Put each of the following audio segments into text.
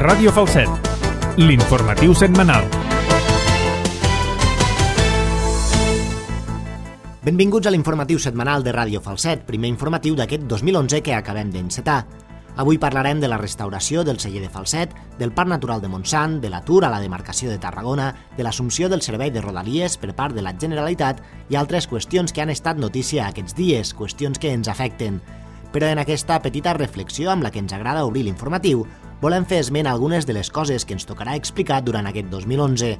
Ràdio Falset, l'informatiu setmanal. Benvinguts a l'informatiu setmanal de Ràdio Falset, primer informatiu d'aquest 2011 que acabem d'encetar. Avui parlarem de la restauració del celler de Falset, del Parc Natural de Montsant, de l'atur a la demarcació de Tarragona, de l'assumpció del servei de Rodalies per part de la Generalitat i altres qüestions que han estat notícia aquests dies, qüestions que ens afecten. Però en aquesta petita reflexió amb la que ens agrada obrir l'informatiu, volem fer esment a algunes de les coses que ens tocarà explicar durant aquest 2011.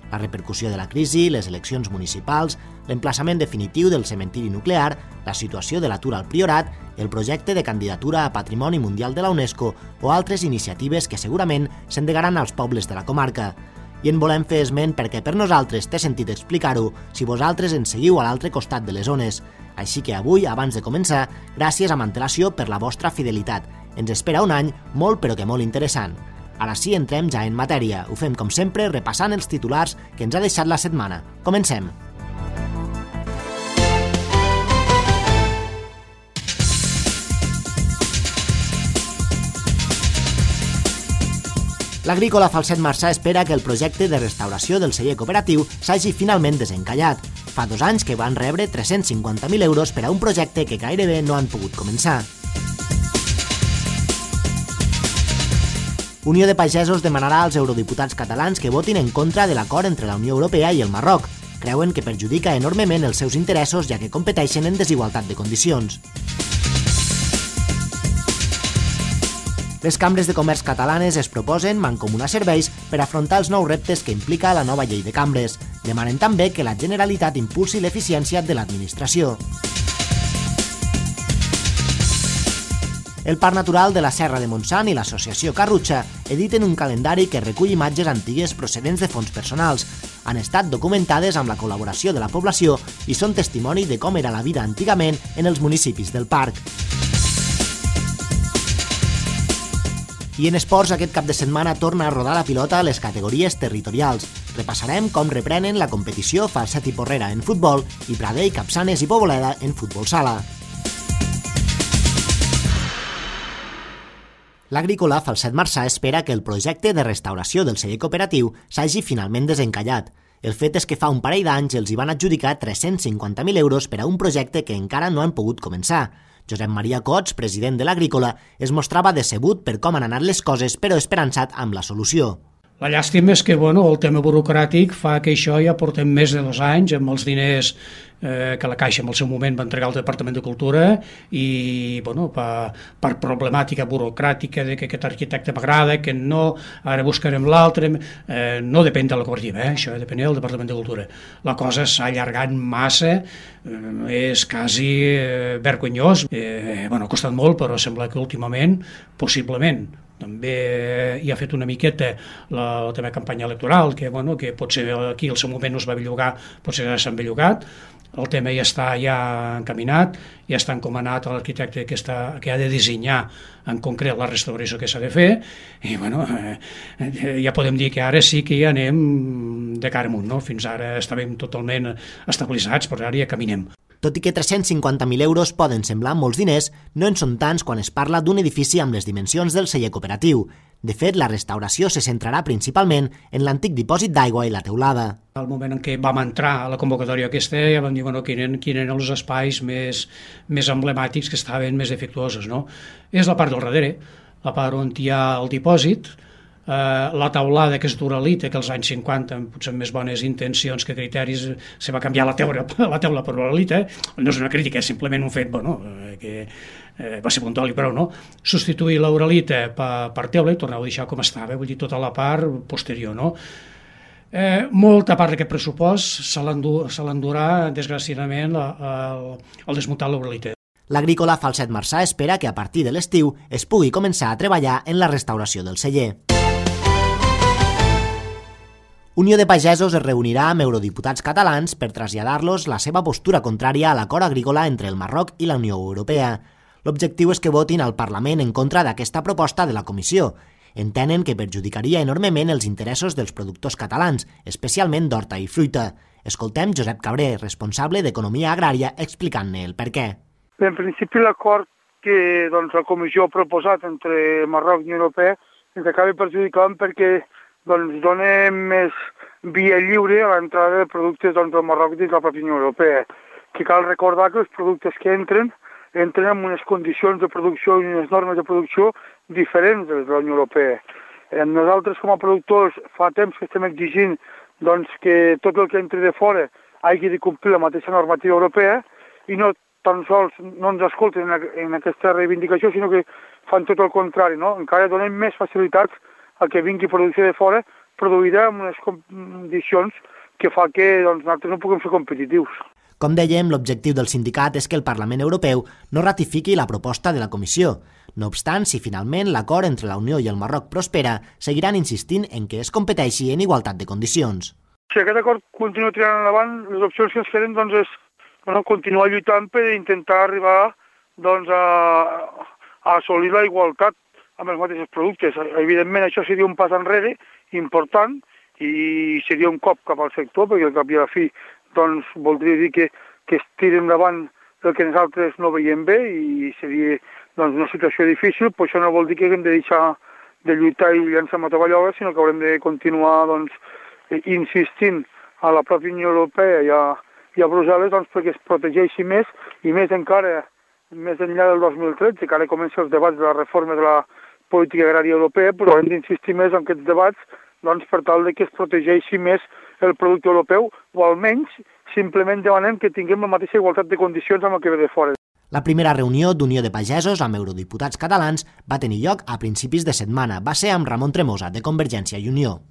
La repercussió de la crisi, les eleccions municipals, l'emplaçament definitiu del cementiri nuclear, la situació de l'atur al Priorat, el projecte de candidatura a Patrimoni Mundial de la UNESCO o altres iniciatives que segurament s'endegaran als pobles de la comarca. I en volem fer esment perquè per nosaltres té sentit explicar-ho si vosaltres ens seguiu a l'altre costat de les ones. Així que avui, abans de començar, gràcies amb antelació per la vostra fidelitat. Ens espera un any molt però que molt interessant. Ara sí, entrem ja en matèria. Ho fem com sempre repassant els titulars que ens ha deixat la setmana. Comencem! L'Agrícola Falset Marçà espera que el projecte de restauració del celler cooperatiu s'hagi finalment desencallat. Fa 2 anys que van rebre 350.000 euros per a un projecte que gairebé no han pogut començar. Unió de Pagesos demanarà als eurodiputats catalans que votin en contra de l'acord entre la Unió Europea i el Marroc. Creuen que perjudica enormement els seus interessos ja que competeixen en desigualtat de condicions. Les cambres de comerç catalanes es proposen mancomunar serveis per afrontar els nous reptes que implica la nova llei de cambres. Demanen també que la Generalitat impulsi l'eficiència de l'administració. El Parc Natural de la Serra de Montsant i l'Associació Carrutxa editen un calendari que recull imatges antigues procedents de fons personals. Han estat documentades amb la col·laboració de la població i són testimoni de com era la vida antigament en els municipis del parc. I en esports, aquest cap de setmana torna a rodar la pilota a les categories territorials. Repassarem com reprenen la competició Falset i Porrera en futbol i Pradell, Capçanes i Poboleda en futbol sala. L'Agrícola Falset Marçà espera que el projecte de restauració del celler cooperatiu s'hagi finalment desencallat. El fet és que fa un parell d'anys els hi van adjudicar 350.000 euros per a un projecte que encara no han pogut començar. Josep Maria Cots, president de l'Agrícola, es mostrava decebut per com han anat les coses, però esperançat amb la solució. La llàstima és que el tema burocràtic fa que això ja portem més de 2 anys amb els diners que la Caixa en el seu moment va entregar al Departament de Cultura i per problemàtica burocràtica de que aquest arquitecte m'agrada, que no, ara buscarem l'altre, no depèn de la cooperativa, això depèn del Departament de Cultura. La cosa s'ha allargat massa, és quasi vergonyós, ha costat molt, però sembla que últimament, possiblement, també hi ha fet una miqueta la teva campanya electoral, que potser aquí al seu moment no es va bellugar, potser ja s'han bellugat. El tema ja està encaminat, ja està encomanat a l'arquitecte que ha de dissenyar en concret la restauració que s'ha de fer i ja podem dir que ara sí que ja anem de cara amunt, no? Fins ara estàvem totalment estabilitzats, però ara ja caminem. Tot i que 350.000 euros poden semblar molts diners, no en són tants quan es parla d'un edifici amb les dimensions del celler cooperatiu. De fet, la restauració se centrarà principalment en l'antic dipòsit d'aigua i la teulada. Al moment en què vam entrar a la convocatòria aquesta, ja vam dir quins eren els espais més emblemàtics que estaven més defectuosos, no? És la part del darrere, la part on hi ha el dipòsit, la taulada que és d'uralita, que als anys 50 potser amb més bones intencions que criteris se va canviar la teula per uralita, no és una crítica, és simplement un fet que va ser puntual i prou, no? Substituir l'uralita per teula i tornar a deixar com estava, vull dir tota la part posterior, no? Molta part d'aquest pressupost se l'endurà desgraciadament el desmuntar l'uralita. L'Agrícola Falset Marçà espera que a partir de l'estiu es pugui començar a treballar en la restauració del celler. Unió de Pagesos es reunirà amb eurodiputats catalans per traslladar-los la seva postura contrària a l'acord agrícola entre el Marroc i la Unió Europea. L'objectiu és que votin al Parlament en contra d'aquesta proposta de la Comissió. Entenen que perjudicaria enormement els interessos dels productors catalans, especialment d'horta i fruita. Escoltem Josep Cabré, responsable d'Economia Agrària, explicant-ne el per què. En principi l'acord que la Comissió ha proposat entre Marroc i Unió Europea ens acaba perjudicant perquè doncs, dona més via lliure a l'entrada de productes del Marroc dins la pròpia Unió Europea. Que cal recordar que els productes que entren amb unes condicions de producció i unes normes de producció diferents de la Unió Europea. Nosaltres, com a productors, fa temps que estem exigint doncs, que tot el que entri de fora hagi de complir la mateixa normativa europea i no tan sols no ens escolten en aquesta reivindicació, sinó que fan tot el contrari, no? Encara donem més facilitats a que vingui producció de fora produïda amb unes condicions que fa que doncs, nosaltres no puguem ser competitius. Com dèiem, l'objectiu del sindicat és que el Parlament Europeu no ratifiqui la proposta de la Comissió. No obstant, si finalment l'acord entre la Unió i el Marroc prospera, seguiran insistint en que es competeixi en igualtat de condicions. Si aquest acord continua tirant endavant, les opcions que ens queden doncs, és continuar lluitant per intentar arribar doncs, a assolir la igualtat amb els mateixos productes. Evidentment, això seria un pas enrere important i seria un cop cap al sector, perquè al cap i a la fi doncs, voldria dir que es tiri endavant el que nosaltres no veiem bé i seria doncs, una situació difícil, però això no vol dir que haguem de deixar de lluitar i llançar mataballoles, sinó que haurem de continuar doncs, insistint a la pròpia Unió Europea i a Brussel·les doncs, perquè es protegeixi més i més encara més enllà del 2013, que ara comencen els debats de la reforma de la política agrària europea, però hem d'insistir més en aquests debats doncs, per tal de que es protegeixi més el producte europeu, o almenys simplement demanem que tinguem la mateixa igualtat de condicions amb el que ve de fora. La primera reunió d'Unió de Pagesos amb eurodiputats catalans va tenir lloc a principis de setmana. Va ser amb Ramon Tremosa, de Convergència i Unió.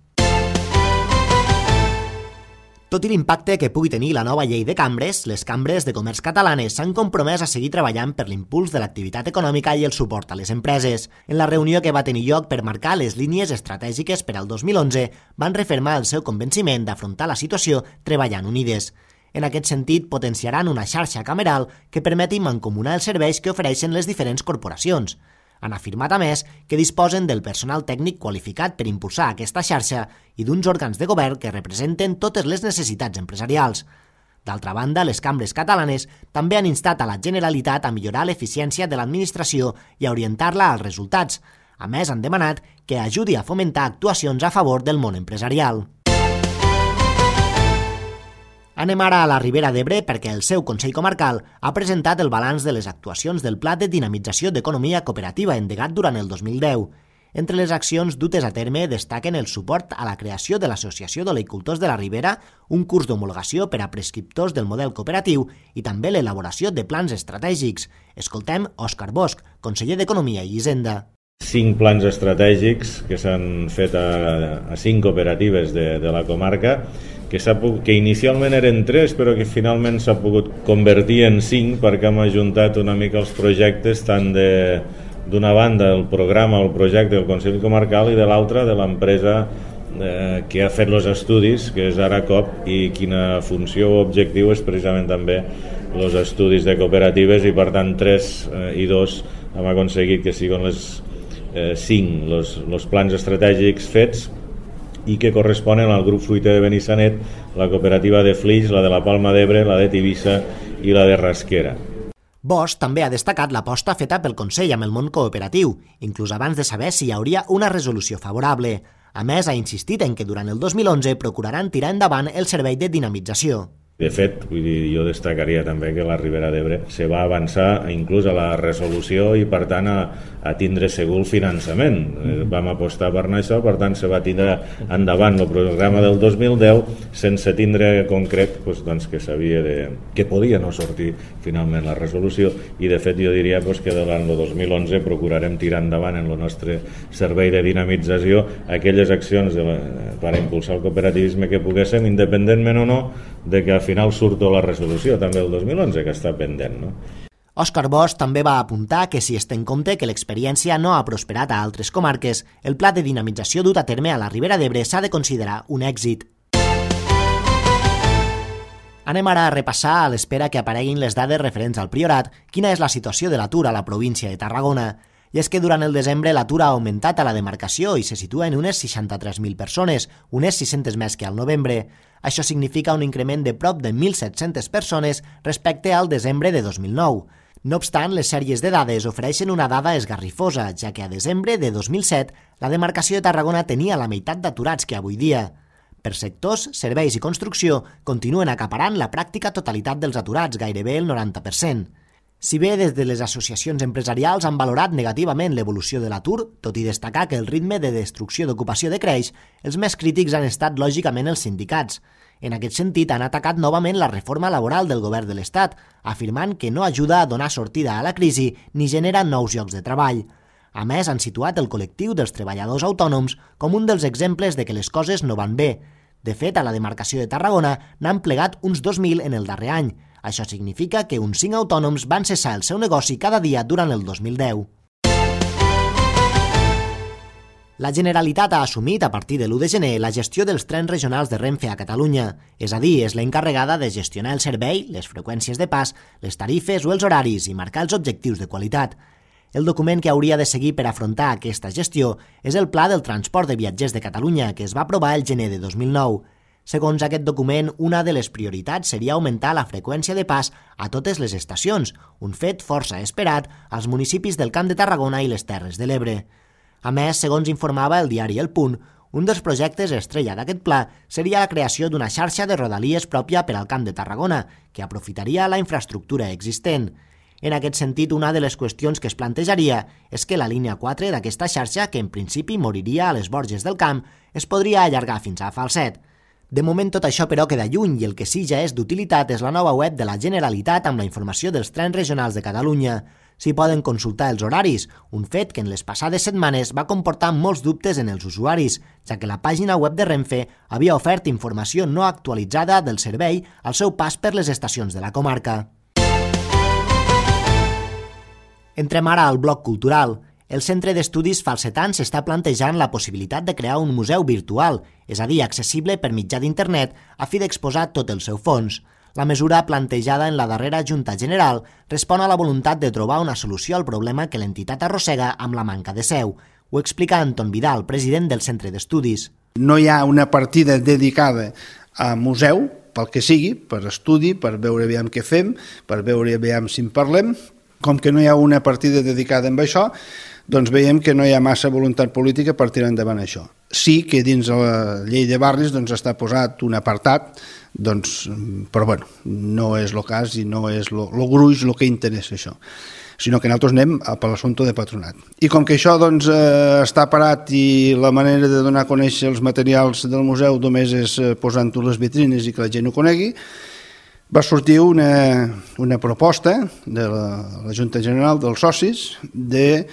Tot i l'impacte que pugui tenir la nova llei de cambres, les cambres de comerç catalanes s'han compromès a seguir treballant per l'impuls de l'activitat econòmica i el suport a les empreses. En la reunió que va tenir lloc per marcar les línies estratègiques per al 2011, van refermar el seu convenciment d'afrontar la situació treballant unides. En aquest sentit, potenciaran una xarxa cameral que permeti mancomunar els serveis que ofereixen les diferents corporacions. Han afirmat, a més, que disposen del personal tècnic qualificat per impulsar aquesta xarxa i d'uns òrgans de govern que representen totes les necessitats empresarials. D'altra banda, les cambres catalanes també han instat a la Generalitat a millorar l'eficiència de l'administració i a orientar-la als resultats. A més, han demanat que ajudi a fomentar actuacions a favor del món empresarial. Anem ara a la Ribera d'Ebre perquè el seu Consell Comarcal ha presentat el balanç de les actuacions del Pla de Dinamització d'Economia Cooperativa endegat durant el 2010. Entre les accions dutes a terme destaquen el suport a la creació de l'Associació d'Oleicultors de la Ribera, un curs d'homologació per a prescriptors del model cooperatiu i també l'elaboració de plans estratègics. Escoltem Òscar Bosch, conseller d'Economia i Hisenda. 5 plans estratègics que s'han fet a 5 cooperatives de la comarca, que inicialment eren 3 però que finalment s'ha pogut convertir en 5 perquè hem ajuntat una mica els projectes tant d'una banda el programa o el projecte del Consell Comarcal i de l'altra de l'empresa que ha fet els estudis, que és ARACOP, i quina funció o objectiu és precisament també els estudis de cooperatives, i per tant 3 i 2 hem aconseguit que siguin les 5 els plans estratègics fets i que corresponen al grup fruiter de Benissanet, la cooperativa de Flix, la de la Palma d'Ebre, la de Tivissa i la de Rasquera. Bosch també ha destacat l'aposta feta pel Consell amb el món cooperatiu, inclús abans de saber si hi hauria una resolució favorable. A més, ha insistit en que durant el 2011 procuraran tirar endavant el servei de dinamització. De fet, vull dir, jo destacaria també que la Ribera d'Ebre se va avançar inclús a la resolució i per tant a tindre segur el finançament. Vam apostar per això, per tant se va tindre endavant el programa del 2010 sense tindre concret doncs, que sabia que podia no sortir finalment la resolució, i de fet jo diria que durant el 2011 procurarem tirar endavant en el nostre servei de dinamització aquelles accions per impulsar el cooperativisme que poguéssim, independentment o no de que al final surto la resolució també el 2011, que està pendent, no? Òscar Bosch també va apuntar que si es té en compte que l'experiència no ha prosperat a altres comarques, el pla de dinamització dut a terme a la Ribera d'Ebre s'ha de considerar un èxit. Anem ara a repassar, a l'espera que apareguin les dades referents al Priorat, quina és la situació de l'atur a la província de Tarragona. I és que durant el desembre l'atur ha augmentat a la demarcació i se situa en unes 63.000 persones, unes 600 més que al novembre. Això significa un increment de prop de 1.700 persones respecte al desembre de 2009. No obstant, les sèries de dades ofereixen una dada esgarrifosa, ja que a desembre de 2007 la demarcació de Tarragona tenia la meitat d'aturats que avui dia. Per sectors, serveis i construcció continuen acaparant la pràctica totalitat dels aturats, gairebé el 90%. Si bé des de les associacions empresarials han valorat negativament l'evolució de l'atur, tot i destacar que el ritme de destrucció d'ocupació decreix, els més crítics han estat lògicament els sindicats. En aquest sentit, han atacat novament la reforma laboral del govern de l'Estat, afirmant que no ajuda a donar sortida a la crisi ni genera nous llocs de treball. A més, han situat el col·lectiu dels treballadors autònoms com un dels exemples de que les coses no van bé. De fet, a la demarcació de Tarragona n'han plegat uns 2.000 en el darrer any. Això significa que uns 5 autònoms van cessar el seu negoci cada dia durant el 2010. La Generalitat ha assumit a partir de l'1 de gener la gestió dels trens regionals de Renfe a Catalunya, és a dir, és la encarregada de gestionar el servei, les freqüències de pas, les tarifes o els horaris i marcar els objectius de qualitat. El document que hauria de seguir per afrontar aquesta gestió és el Pla del Transport de Viatgers de Catalunya, que es va aprovar el gener de 2009. Segons aquest document, una de les prioritats seria augmentar la freqüència de pas a totes les estacions, un fet força esperat als municipis del Camp de Tarragona i les Terres de l'Ebre. A més, segons informava el diari El Punt, un dels projectes estrella d'aquest pla seria la creació d'una xarxa de rodalies pròpia per al Camp de Tarragona, que aprofitaria la infraestructura existent. En aquest sentit, una de les qüestions que es plantejaria és que la línia 4 d'aquesta xarxa, que en principi moriria a les Borges del Camp, es podria allargar fins a Falset. De moment tot això però queda lluny i el que sí ja és d'utilitat és la nova web de la Generalitat amb la informació dels trens regionals de Catalunya. S'hi poden consultar els horaris, un fet que en les passades setmanes va comportar molts dubtes en els usuaris, ja que la pàgina web de Renfe havia ofert informació no actualitzada del servei al seu pas per les estacions de la comarca. Entrem ara al bloc cultural. El Centre d'Estudis Falsetans està plantejant la possibilitat de crear un museu virtual, és a dir, accessible per mitjà d'internet, a fi d'exposar tot el seu fons. La mesura plantejada en la darrera Junta General respon a la voluntat de trobar una solució al problema que l'entitat arrossega amb la manca de seu. Ho explica Anton Vidal, president del Centre d'Estudis. No hi ha una partida dedicada a museu, pel que sigui, per estudi, per veure aviam què fem, per veure aviam si en parlem. Com que no hi ha una partida dedicada a això, doncs veiem que no hi ha massa voluntat política per tirar endavant això. Sí que dins la llei de barris està posat un apartat, però bueno, no és el cas i no és el gruix el que interessa això, sinó que nosaltres anem per l'assumpte de patronat. I com que això està parat i la manera de donar a conèixer els materials del museu només és posant-ho a les vitrines i que la gent ho conegui, va sortir una proposta de la Junta General dels socis de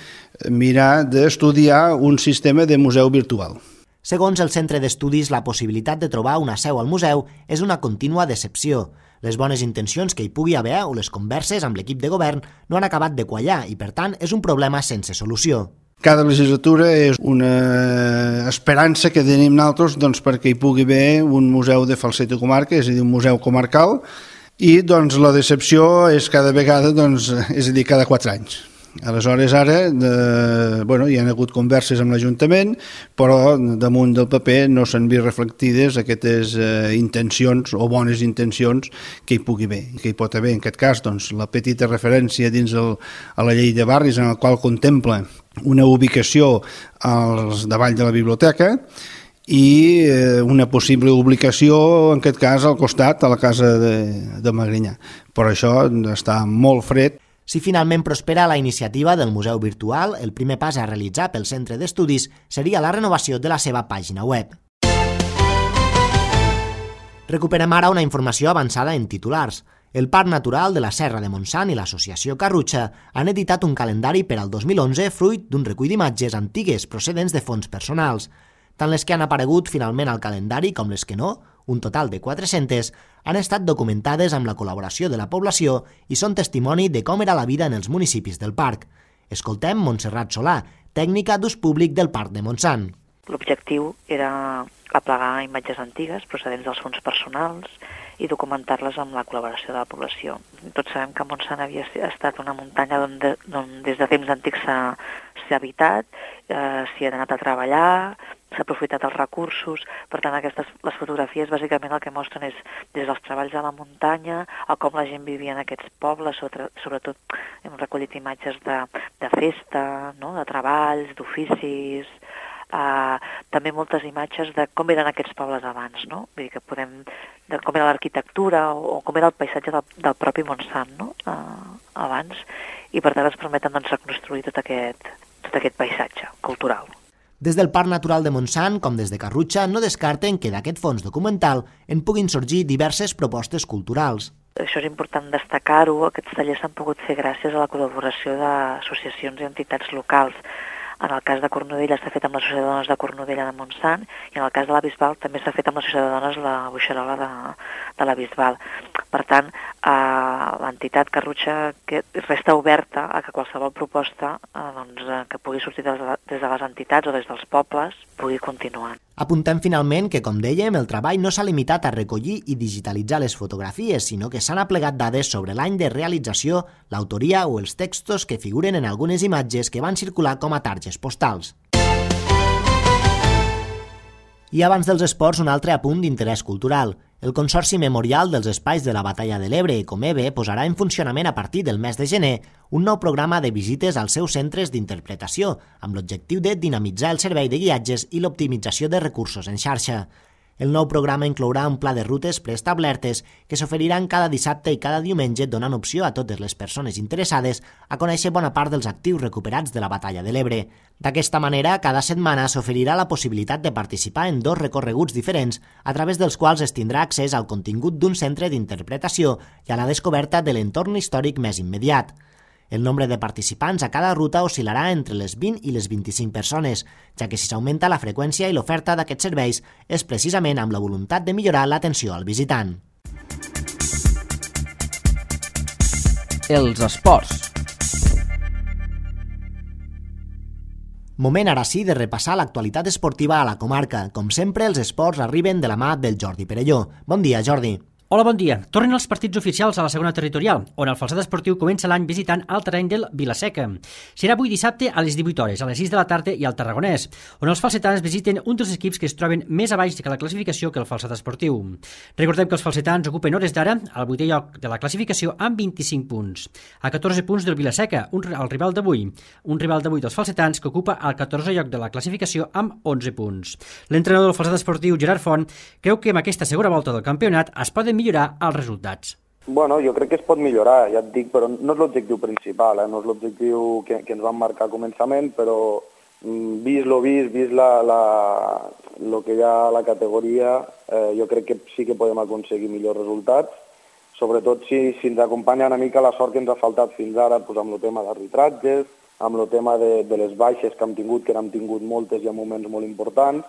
mirar d'estudiar un sistema de museu virtual. Segons el Centre d'Estudis, la possibilitat de trobar una seu al museu és una contínua decepció. Les bones intencions que hi pugui haver o les converses amb l'equip de govern no han acabat de quallar i, per tant, és un problema sense solució. Cada legislatura és una esperança que tenim nosaltres perquè hi pugui haver un museu de Falset i comarca, és a dir, un museu comarcal, i la decepció és cada vegada, és a dir, cada 4 anys. Aleshores, ara, hi ha hagut converses amb l'Ajuntament, però damunt del paper no s'han vist reflectides aquestes intencions o bones intencions que hi pugui haver. Que hi pot haver, en aquest cas, la petita referència dins a la llei de barris en la qual contempla una ubicació davall de la biblioteca i una possible ubicació, en aquest cas, al costat, a la casa de Magrinyà. Però això està molt fred. Si finalment prospera la iniciativa del Museu Virtual, el primer pas a realitzar pel Centre d'Estudis seria la renovació de la seva pàgina web. Recuperem ara una informació avançada en titulars. El Parc Natural de la Serra de Montsant i l'Associació Carrutxa han editat un calendari per al 2011 fruit d'un recull d'imatges antigues procedents de fons personals. Tant les que han aparegut finalment al calendari com les que no, un total de 400, han estat documentades amb la col·laboració de la població i són testimoni de com era la vida en els municipis del parc. Escoltem Montserrat Solà, tècnica d'ús públic del Parc de Montsant. L'objectiu era aplegar imatges antigues procedents dels fons personals i documentar-les amb la col·laboració de la població. Tots sabem que Montsant havia estat una muntanya on des de temps antics s'ha habitat, s'hi ha anat a treballar s'ha aprofitat els recursos. Per tant, les fotografies bàsicament el que mostren és des dels treballs a la muntanya a com la gent vivia en aquests pobles, sobretot hem recollit imatges de festa, no? De treballs, d'oficis, també moltes imatges de com eren aquests pobles abans, no? Vull dir que de com era l'arquitectura o com era el paisatge del propi Montsant, no? Abans, i per tant ens permeten reconstruir tot aquest paisatge cultural. Des del Parc Natural de Montsant, com des de Carrutxa, no descarten que d'aquest fons documental en puguin sorgir diverses propostes culturals. Això és important destacar-ho, aquests tallers s'han pogut fer gràcies a la col·laboració d'associacions i entitats locals. En el cas de Cornudella s'ha fet amb l'Associació de Dones de Cornudella de Montsant i en el cas de la Bisbal també s'ha fet amb l'Associació de Dones la Boixerola de la Bisbal. Per tant, l'entitat Carrutxa resta oberta a que qualsevol proposta que pugui sortir des de les entitats o des dels pobles pugui continuar. Apuntem finalment que, com dèiem, el treball no s'ha limitat a recollir i digitalitzar les fotografies, sinó que s'han aplegat dades sobre l'any de realització, l'autoria o els textos que figuren en algunes imatges que van circular com a targes postals. I abans dels esports, un altre apunt d'interès cultural. El Consorci Memorial dels Espais de la Batalla de l'Ebre, Comebe, posarà en funcionament a partir del mes de gener un nou programa de visites als seus centres d'interpretació, amb l'objectiu de dinamitzar el servei de guiatges i l'optimització de recursos en xarxa. El nou programa inclourà un pla de rutes preestablertes que s'oferiran cada dissabte i cada diumenge, donant opció a totes les persones interessades a conèixer bona part dels actius recuperats de la Batalla de l'Ebre. D'aquesta manera, cada setmana s'oferirà la possibilitat de participar en 2 recorreguts diferents, a través dels quals es tindrà accés al contingut d'un centre d'interpretació i a la descoberta de l'entorn històric més immediat. El nombre de participants a cada ruta oscil·larà entre les 20 i les 25 persones, ja que si s'augmenta la freqüència i l'oferta d'aquests serveis és precisament amb la voluntat de millorar l'atenció al visitant. Els esports. Moment ara sí de repassar l'actualitat esportiva a la comarca. Com sempre, els esports arriben de la mà del Jordi Perelló. Bon dia, Jordi. Hola, bon dia. Tornen els partits oficials a la segona territorial, on el Falset Esportiu comença l'any visitant el terreny del Vila-seca. Serà avui dissabte a les 18 hores, a les 6 de la tarda i al Tarragonès, on els falsetans visiten un dels equips que es troben més a baix que la classificació que el Falset Esportiu. Recordem que els falsetans ocupen hores d'ara al 8è lloc de la classificació amb 25 punts, a 14 punts del Vila-seca, el rival d'avui. Un rival d'avui dels falsetans que ocupa el 14è lloc de la classificació amb 11 punts. L'entrenador del Falset Esportiu, Gerard Font, creu que amb aquesta segona volta del campionat es poden millorar els resultats. Bueno, jo crec que es pot millorar, ja et dic, però no és l'objectiu principal, no és l'objectiu que ens van marcar a començament, però vist lo que hi ha a la categoria, jo crec que sí que podem aconseguir millors resultats, sobretot si ens acompanya una mica la sort que ens ha faltat fins ara amb el tema d'arbitratges, amb el tema de les baixes que hem tingut, que n'hem tingut moltes i en moments molt importants.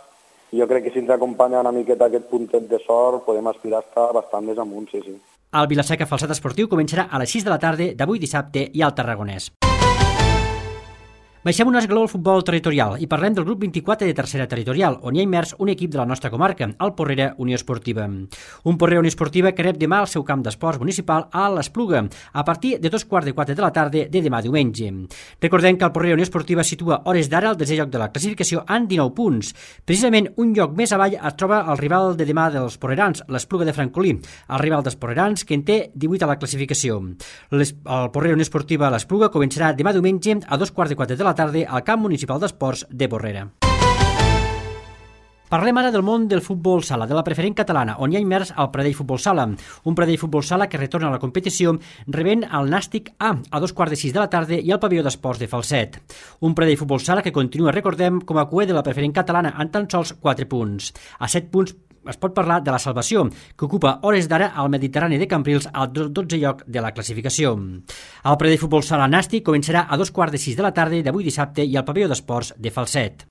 Jo crec que si ens acompanya una miqueta aquest puntet de sort podem aspirar a estar bastant més amunt, sí. El Vila-seca Falset Esportiu començarà a les 6 de la tarda d'avui dissabte i al Tarragonès. Baixem un esglaó al futbol territorial i parlem del grup 24 de tercera territorial, on hi ha immers un equip de la nostra comarca, el Porrera Unió Esportiva. Un Porrera Unió Esportiva que rep demà al seu camp d'esports municipal a l'Espluga, a partir de 3:15 de la tarda de demà diumenge. Recordem que el Porrera Unió Esportiva situa hores d'ara al 10è lloc de la classificació amb 19 punts. Precisament un lloc més avall es troba el rival de demà dels porrerans, l'Espluga de Francolí, el rival dels porrerans que en té 18 a la classificació. El Porrera Unió Esportiva a l'Espluga començarà demà diumenge a 2:15 de la tarda al camp municipal d'esports de Porrera. Parlem ara del món del futbol sala, de la preferent catalana, on hi ha immers el Pradell Futbol Sala. Un Pradell Futbol Sala que retorna a la competició rebent el Nàstic A 2:15 de la tarda i al pavelló d'esports de Falset. Un Pradell Futbol Sala que continua, recordem, com a cuer de la preferent catalana en tan sols 4 punts. A 7 punts es pot parlar de la Salvació, que ocupa hores d'ara al Mediterrani de Cambrils al 12è lloc de la classificació. El Pradell Futbol Sala Nàstic començarà a 2:15 de la tarda d'avui dissabte i al pavelló d'esports de Falset.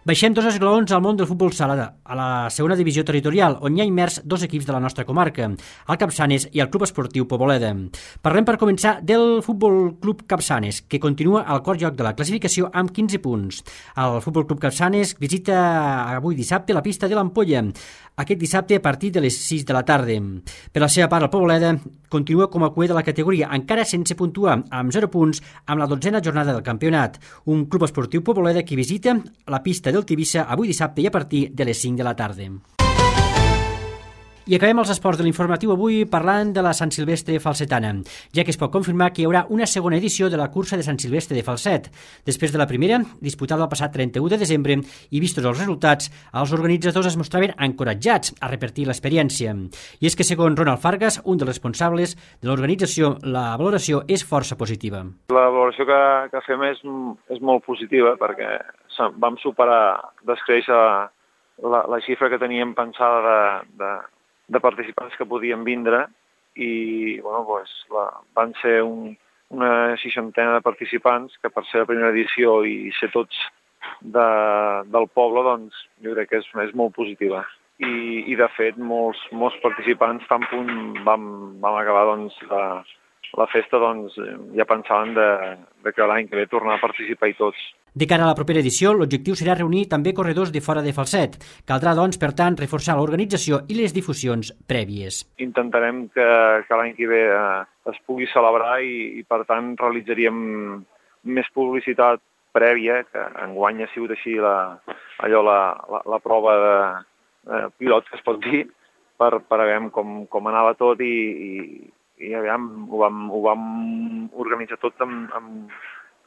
Baixem 2 esglaons al món del futbol sala, a la segona divisió territorial, on hi ha immers 2 equips de la nostra comarca, el Capçanes i el Club Esportiu Poboleda. Parlem per començar del Futbol Club Capçanes, que continua al quart lloc de la classificació amb 15 punts. El Futbol Club Capçanes visita avui dissabte la pista de l'Ampolla, aquest dissabte a partir de les 6 de la tarda. Per la seva part, el Poboleda continua com a cuer de la categoria, encara sense puntuar, amb 0 punts, amb la 12a jornada del campionat. Un Club Esportiu Poboleda que visita la pista del Tivissa avui dissabte i a partir de les 5 de la tarda. I acabem els esports de l'informatiu avui parlant de la Sant Silvestre Falsetana, ja que es pot confirmar que hi haurà una segona edició de la cursa de Sant Silvestre de Falset. Després de la primera, disputada el passat 31 de desembre, i vistos els resultats, els organitzadors es mostraven encoratjats a repetir l'experiència. I és que, segons Ronald Fargas, un dels responsables de l'organització, la valoració és força positiva. La valoració que fem és molt positiva perquè vam superar, descréixer la xifra que teníem pensada de participants que podien vindre i van ser una 60ena de participants que per ser la primera edició i ser tots del poble, doncs jo crec que és molt positiva. I de fet molts participants tan punt vam acabar la festa ja pensaven que l'any que ve tornar a participar i tots. De cara a la propera edició, l'objectiu serà reunir també corredors de fora de Falset. Caldrà, doncs, per tant, reforçar l'organització i les difusions prèvies. Intentarem que l'any que ve es pugui celebrar i per tant, realitzaríem més publicitat prèvia, que enguany ha sigut així la prova de pilot, que es pot dir, per veure com anava tot i aviam, ho vam organitzar tot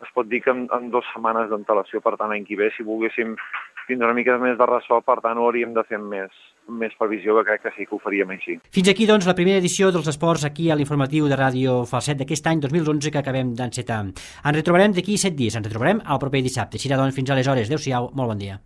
es pot dir que en 2 setmanes d'antelació, per tant, l'any que ve, si volguéssim tindre una mica més de ressò, per tant, ho hauríem de fer amb més previsió, que crec que sí que ho faríem així. Fins aquí, doncs, la primera edició dels esports aquí a l'informatiu de Ràdio Falset d'aquest any 2011 que acabem d'encetar. Ens retrobarem d'aquí 7 dies, ens retrobarem el proper dissabte. Així, doncs, fins aleshores. Adéu-siau, molt bon dia.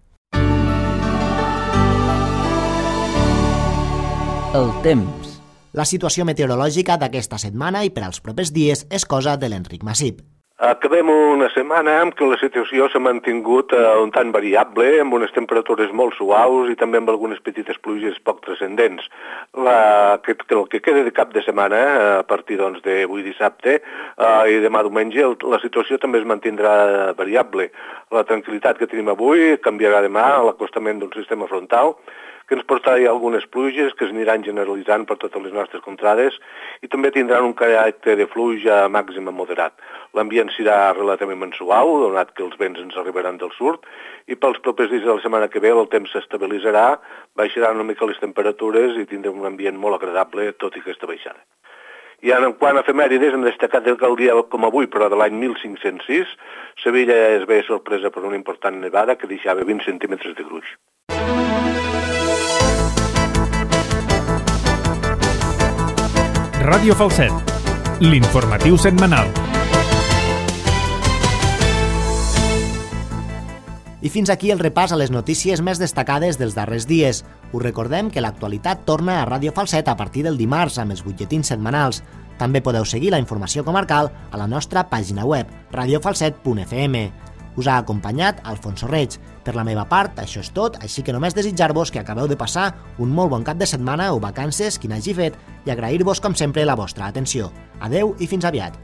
El temps. La situació meteorològica d'aquesta setmana i per als propers dies és cosa de l'Enric Massip. Acabem una setmana en què la situació s'ha mantingut un tant variable, amb unes temperatures molt suaus i també amb algunes petites pluges poc transcendents. El que queda de cap de setmana, a partir d'avui dissabte i demà diumenge, la situació també es mantindrà variable. La tranquil·litat que tenim avui canviarà demà a l'acostament d'un sistema frontal, que ens portarà algunes pluges que es aniran generalitzant per totes les nostres contrades i també tindran un caràcter de pluja màxima moderat. L'ambient serà relativament suau, donat que els vents ens arribaran del sud, i pels propers dies de la setmana que ve el temps s'estabilitzarà, baixaran una mica les temperatures i tindrem un ambient molt agradable, tot i aquesta baixada. I en quant a efemèrides, hem destacat que el dia com avui, però de l'any 1506, Sevilla es ve sorpresa per una important nevada que deixava 20 centímetres de gruix. Ràdio Falset, l'informatiu setmanal. I fins aquí el repàs a les notícies més destacades dels darrers dies. Us recordem que l'actualitat torna a Ràdio Falset a partir del dimarts amb els butlletins setmanals. També podeu seguir la informació comarcal a la nostra pàgina web, radiofalset.fm. Us ha acompanyat Alfonso Reig. Per la meva part, això és tot, així que només desitjar-vos que acabeu de passar un molt bon cap de setmana o vacances, qui n'hagi fet, i agrair-vos com sempre la vostra atenció. Adeu i fins aviat.